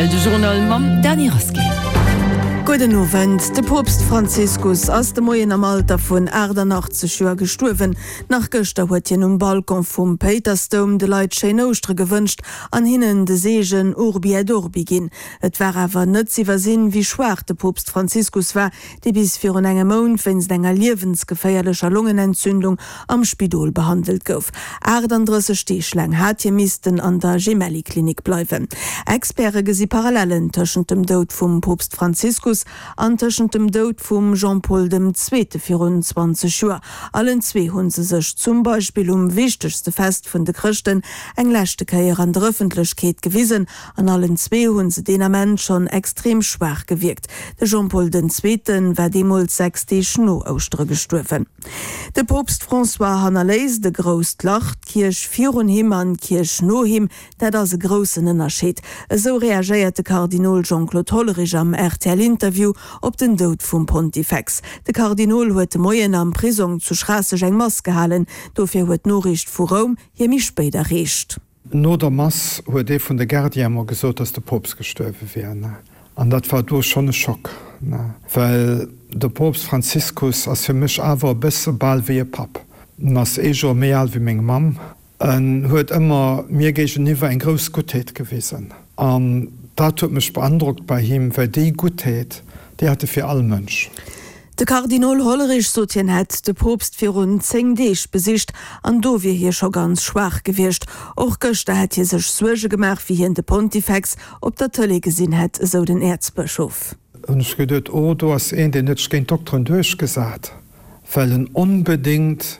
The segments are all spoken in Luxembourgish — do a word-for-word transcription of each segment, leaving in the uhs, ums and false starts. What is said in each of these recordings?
rtl, de Journal mam Dany Rasqué. Gudden Owend. De Poopst Franziskus ass de Moien am Alter vun aachtannachtzeg Joer gestuerwen. Nach gëschter huet hien um Balcon vum Péitersdoum de Leit schéin Ouschtere gewënscht an hinnen de Seegen Urbi et Orbi ginn. Et war awer net z'iwwersinn, wéi schwaach de Poopst Franziskus war, dee bis virun engem Mount wéinst enger liewensgeféierlecher Longenentzündung am Spidol behandelt gouf. achtandrësseg Deeg laang hat hie missten an der Gemelli-Klinik bleiwen. Experte gesi Parallellen tëschent dem Doud vum Poopst Franziskus an tëschent dem Doud vum Jean-Paul dem Zweete virun zwanzeg Joer. Allen zwee hu se sech zum Beispill um wichtegste Fest vun de Chrëschten eng leschte Kéier an der Ëffentlechkeet gewisen an allen zwee hu se deen Ament schonn extrem schwaach gewierkt. De Jean-Paul den Zweete war deemools sechs Deeg no Ouschtere gestuerwen. De Poopst François hannerléisst e grousst Lach. D'Kierch virun him an d'Kierch no him, dat ass e groussen Ënnerscheed. Esou reagéiert de Kardinol Jean-Claude Hollerich am R T L-Interview op den Doud vum Pontifex. De Kardinol huet de Moien am Prisong zu Schraasseg eng Mass gehalen. Dofir huet d'Noriicht vu Roum hie méi spéit erreecht. No der Mass huet ee vun de Gardiene mer gesot, dass de Poopst gestuerwe wier. An dat war do schonn e Schock, well de Poopst Franziskus ass fir mech awer e bësse bal wéi e Papp. En ass ee Joer méi al wéi meng Mamm. En huet ëmmer mir géigeniwwer eng grouss Guttheet gewisen. An dat huet mech beandrockt bei him, well déi Guttheet, déi hat e fir all Mënsch. De Kardinol Hollerich sot, hien hätt de Poopst virun zéng Deeg besicht an do wier hie scho ganz schwaach gewiescht. Och gëschter hätt hie sech Suerge gemaach, wéi hien de Pontifex op der Tëlee gesinn hätt, esou den Äerzbëschof. Hunn ech geduet, oh do ass een, deen huet sech géint d'Dokteren duerchgesat, well en onbedéngt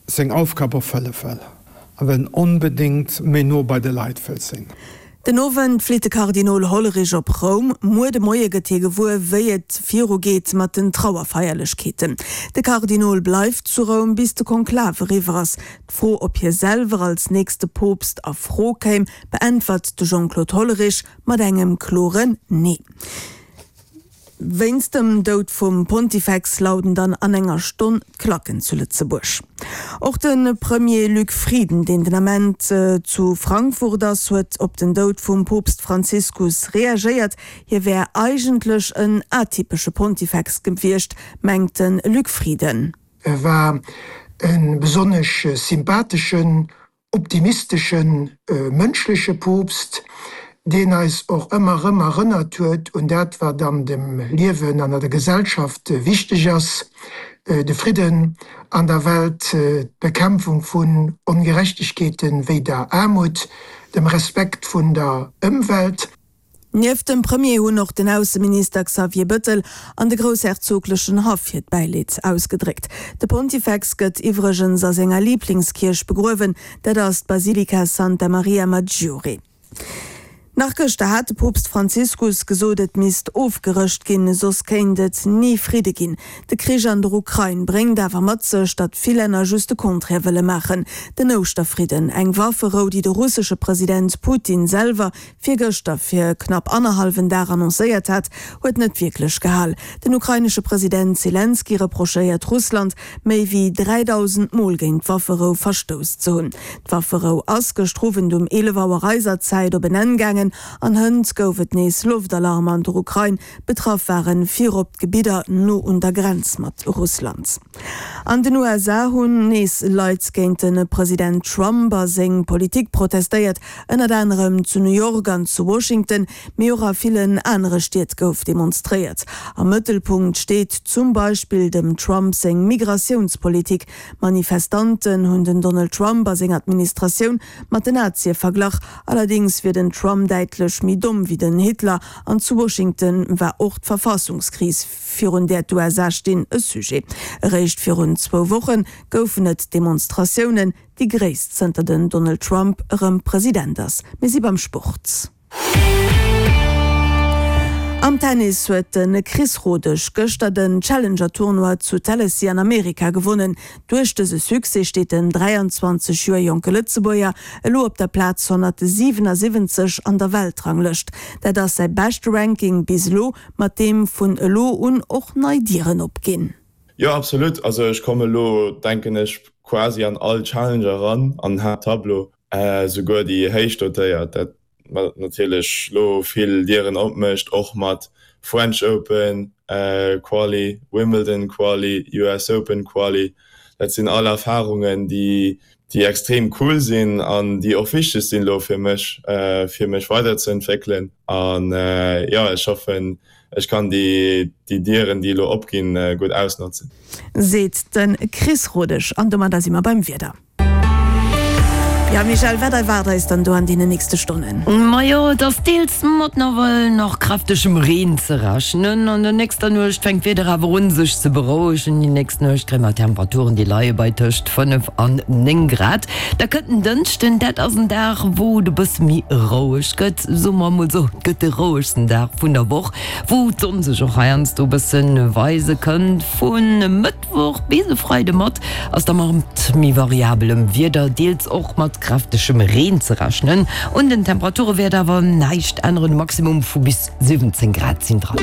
seng Aufgab erfëlle wëll a well en onbedéngt méi no bei de Leit wëll sinn. Den Owend flitt de Kardinol Hollerich op Roum. Muer de Moie gëtt hie gewuer, wéi et viru geet mat den Trauerfeierlechkeeten. De Kardinol bleift zu Roum, bis de Konklav eriwwer ass. D'Fro, ob hie selwer als nächste Poopst a Fro kéim, beäntwert de Jean-Claude Hollerich mat engem kloren Nee. Wéinst dem Doud vum Pontifex lauden dann an enger Stonn d'Klacken zu Lëtzebuerg. Och de Premier Luc Frieden, deen den Ament zu Frankfurt ass, huet op den Doud vum Poopst Franziskus reagéiert. Hie wär eigentlech en atypesche Pontifex gewiescht, mengt de Luc Frieden. E war e besonnesch sympatheschen, optimisteschen, mënschleche Poopst, deen eis och ëmmer erëm erënnert huet un dat, wat an dem Liewen an an der Gesellschaft wichteg ass, de Fridden an der Welt, d'Bekämpfung vun Ongerechtegkeeten wéi der Aarmut, dem Respekt vun der Ëmwelt. Nieft dem Premier hunn och den Ausseminister Xavier Bëttel an de groussherzoglechen Haff hiert Bäileed ausgedréckt. De Pontifex gëtt iwwregens a senger Liblingskierch begruewen, dat ass d'Basilika Santa Maria Maggiore. Nach gëschter hat de Poopst Franziskus gesot, et misst ofgerëscht ginn, soss kéint et ni Fridde ginn. De Krich an der Ukrain bréngt awer mat sech, datt vill Länner just de Contraire wëlle maachen. Den Ouschterfridden, eng Wafferou, déi de russesche President Putin selwer virgëschter fir knapp annerhallwen Dag annoncéiert hat, huet net wierklech gehal. Den ukrainesche President Selenskyj reprochéiert Russland, méi wéi dräidausend Mol géint d'Wafferou verstouss ze hunn. D'Wafferou ass gëschter Owend um eelef Auer eiser Zäit op en Enn gaangen an hënt gouf et nees Loftalarm an der Ukrain. Betraff ware virop d'Gebidder no un der Grenz mat Russland. An den U S A hunn nees Leit géint de President Trump a seng Politik protestéiert, ënnert anerem zu New York an zu Washington, mee och a villen anere Stied gouf demonstréiert. Am Mëttelpunkt steet zum Beispill dem Trump seng Migratiounspolitik. Manifestanten hunn den Donald Trump a seng Administratioun mat den Nazie verglach. Allerdéngs wier den Trump däitlech méi domm wéi den Hitler. An zu Washington war och d'Verfassungskris, virun där d'U S A stinn, e Sujet. Eréischt virun zwou Woche goufen et Demonstratiounen, déi gréisst zënter den Donald Trump erëm President ass. Mir si beim Sport. Am Tennis huet de Chris Rodesch gëschter den Challenger-Tournoi zu Tennessee an Amerika gewonnen. Duerch dëse Succès steet den dräianzwanzeg Joer jonke Lëtzebuerger elo op der Plaz honnertsiwenasiwwenzeg an der Weltranglëscht. Dat ass säi beschte Ranking bis elo, mat deem vun elo un och nei Dieren opginn. Jo, absolut, also ech komme elo, denken ech, quasi an all Challenger eran an den Haapttableau, souguer déi héich dotéiert. Dat natierlech lo vill Dieren opmécht, och mat French Open Quali, Wimbledon Quali, US Open Quali. Dat sinn all Erfarungen, déi déi extrem cool sinn an déi och wichteg sinn elo fir mech, fir mech weiderzeentwéckelen. An jo, ech hoffen, ech kann déi Dieren, déi elo opginn, gutt ausnotzen. Seet de Chris Rodesch. An domadder si mer beim Wieder. Jo Michèle, wat erwaart eis dann do an deenen nächste Stonnen? Majo, et ass deels mat nawell nach kräftegem Reen ze rechnen. An der nächster Nuecht fänkt d'Wieder awer un sech ze berouegen. Déi nächst Nuecht kréie mer Temperaturen, déi leie bei tëscht fënnef an néng Grad. Da kënnt den Dënschden, dat ass en Dag, wou et e bësse méi roueg gëtt, soe mer emol esou, et gëtt de rouegsten Dag vun der Woch, wou d'Sonn sech och heiansdo e bësse weise kënnt. Vu Mëttwoch bis e Freide mat ass da mat méi variabelem Wieder, deels och mat kräftegem Reen ze rechnen. Un den Temperature wäert awer näischt änneren, e Maximum vu bis siwwenzéng Grad sinn dran.